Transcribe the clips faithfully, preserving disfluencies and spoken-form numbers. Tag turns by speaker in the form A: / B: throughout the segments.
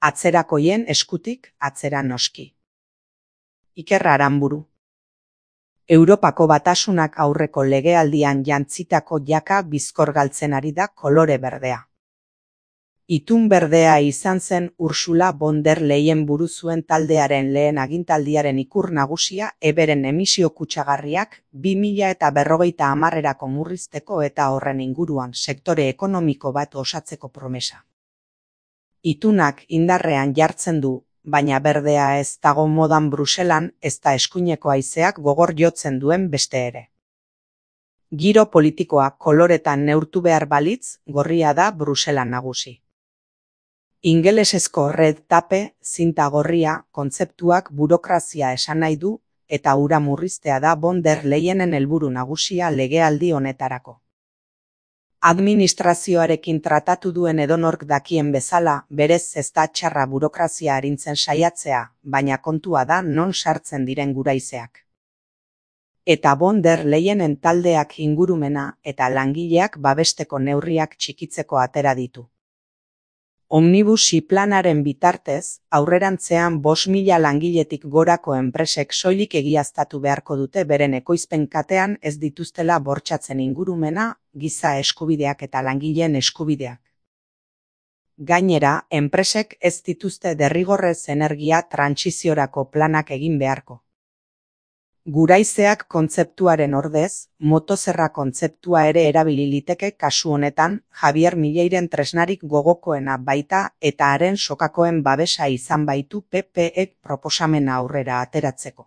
A: Atzerakoien eskutik atzera noski. Iker Aranburu. Europako Batasunak aurreko legealdian jantzitako jaka bizkor galtzen ari da kolore berdea. Itun berdea izan zen Ursula von der Leyen buru zuen taldearen lehen agintaldiaren ikur nagusia eberen emisio kutsagarriak bi mila eta berrogeita hamarrerako murrizteko eta horren inguruan sektore ekonomiko bat osatzeko promesa. Itunak indarrean jartzen du, baina berdea ez dago modan Bruselan ezta eskuineko haizeak gogor jotzen duen beste ere. Giro politikoa koloretan neurtu behar balitz, gorria da Bruselan nagusi. Ingelesezko red tape, zinta gorria, kontzeptuak burokrazia esan nahi du, eta hura murriztea da von der Leyenen helburu nagusia legealdi honetarako. Administrazioarekin tratatu duen edonork dakien bezala, berez ez da txarra burokrazia arintzen saiatzea, baina kontua da non sartzen diren guraizeak. Eta von der Leyenen taldeak ingurumena eta langileak babesteko neurriak txikitzeko atera ditu. Omnibusi planaren bitartez, aurrerantzean bost mila langiletik gorako enpresek soilik egiaztatu beharko dute beren ekoizpen katean ez dituztela bortxatzen ingurumena, giza eskubideak eta langileen eskubideak. Gainera, enpresek ez dituzte derrigorrez energia trantsiziorako planak egin beharko. Guraizeak kontzeptuaren ordez, motozerra kontzeptua ere erabili liteke kasu honetan, Javier Mileiren tresnarik gogokoena baita eta haren sokakoen babesa izan baitu P P-ek proposamena aurrera ateratzeko.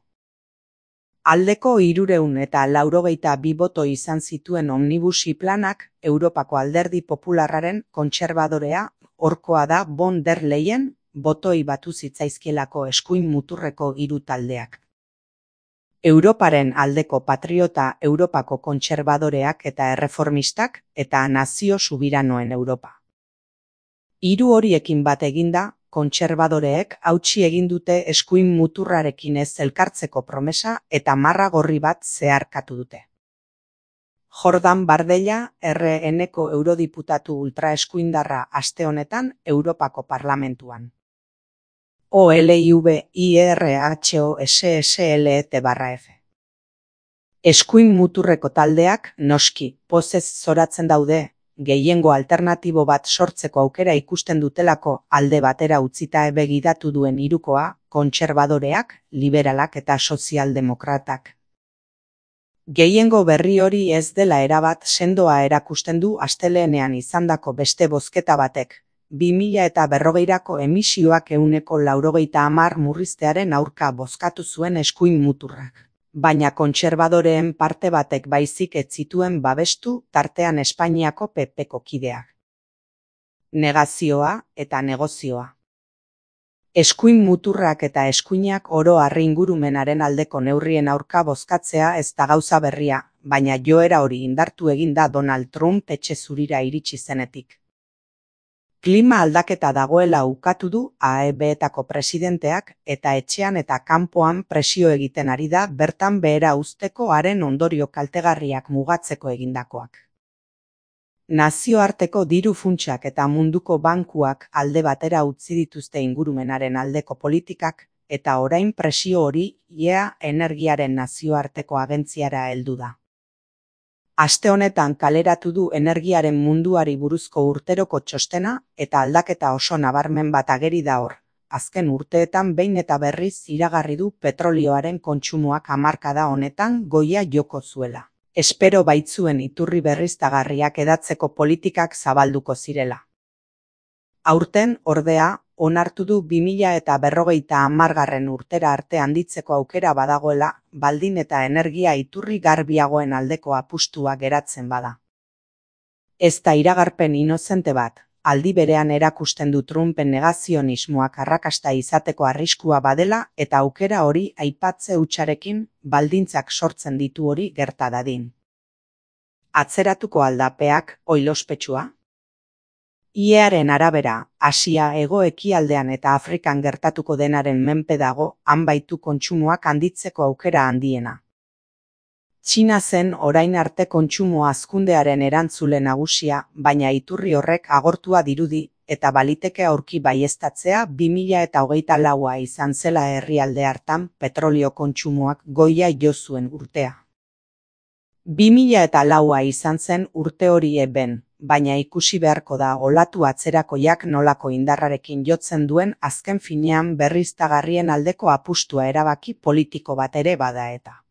A: Aldeko hirureun eta laurogeita bi boto izan zituen omnibusi planak, Europako Alderdi Popularraren kontserbadorea, horkoa da von der Leyen, botoi batu zitzaizkielako eskuin muturreko hiru taldeak. Europaren aldeko patriota Europako kontserbadoreak eta erreformistak eta nazio subiranoen Europa. Hiru horiekin bat eginda, kontserbadoreek hautsi egin dute eskuin muturrarekin ez elkartzeko promesa eta marra gorri bat zeharkatu dute. Jordan Bardella, R N-ko eurodiputatu ultraeskuindarra aste honetan Europako Parlamentuan. O L I V I R H O S S L E T barra F. Eskuin muturreko taldeak, noski, pozez zoratzen daude, gehiengo alternatibo bat sortzeko aukera ikusten dutelako alde batera utzita begiratu duen hirukoa, kontserbadoreak, liberalak eta sozialdemokratak. Gehiengo berri hori ez dela erabat sendoa erakusten du astelehenean izandako beste bozketa batek, bi mila eta berrogeirako emisioak ehuneko laurogeita hamar murriztearen aurka bozkatu zuen eskuin muturrak. Baina kontserbadoreen parte batek baizik ez zituen babestu tartean Espainiako P P-ko kideak. Negazioa eta negozioa. Eskuin muturrak eta eskuinak oro har ingurumenaren aldeko neurrien aurka bozkatzea ez da gauza berria, baina joera hori indartu egin da Donald Trump etxe zurira iritsi zenetik. Klima aldaketa dagoela ukatu du A E B-etako presidenteak eta etxean eta kanpoan presio egiten ari da bertan behera uzteko haren ondorio kaltegarriak mugatzeko egindakoak. Nazioarteko diru funtsak eta munduko bankuak alde batera utzi dituzte ingurumenaren aldeko politikak eta orain presio hori I E A energiaren nazioarteko agentziara heldu da. Aste honetan kaleratu du energiaren munduari buruzko urteroko txostena eta aldaketa oso nabarmen bat ageri da hor. Azken urteetan behin eta berriz iragarri du petrolioaren kontsumoak hamarkada honetan goia joko zuela. Espero baitzuen iturri berriztagarriak edatzeko politikak zabalduko zirela. Aurten, ordea, onartu du bi mila eta berrogeita hamargarren urtera arte handitzeko aukera badagoela, baldin eta energia iturri garbiagoen aldeko apustua geratzen bada. Ez da iragarpen inozente bat, aldi berean erakusten du Trumpen negazionismoak arrakasta izateko arriskua badela eta aukera hori aipatze hutsarekin baldintzak sortzen ditu hori gerta dadin. Atzeratuko aldapeak oilospetsua? I E A-ren arabera, Asia hego-ekialdean eta Afrikan gertatuko denaren menpe dago, han baitu kontsumoak handitzeko aukera handiena. Txina zen orain arte kontsumo hazkundearen erantzule nagusia, baina iturri horrek agortua dirudi, eta baliteke aurki baieztatzea bi mila eta hogeita laua izan zela herrialde hartan petrolio kontsumoak goia jo zuen urtea. bi mila eta laua izan zen urte hori eben, baina ikusi beharko da olatu atzerakoiak nolako indarrarekin jotzen duen azken finean berriztagarrien aldeko apustua erabaki politiko bat ere bada eta.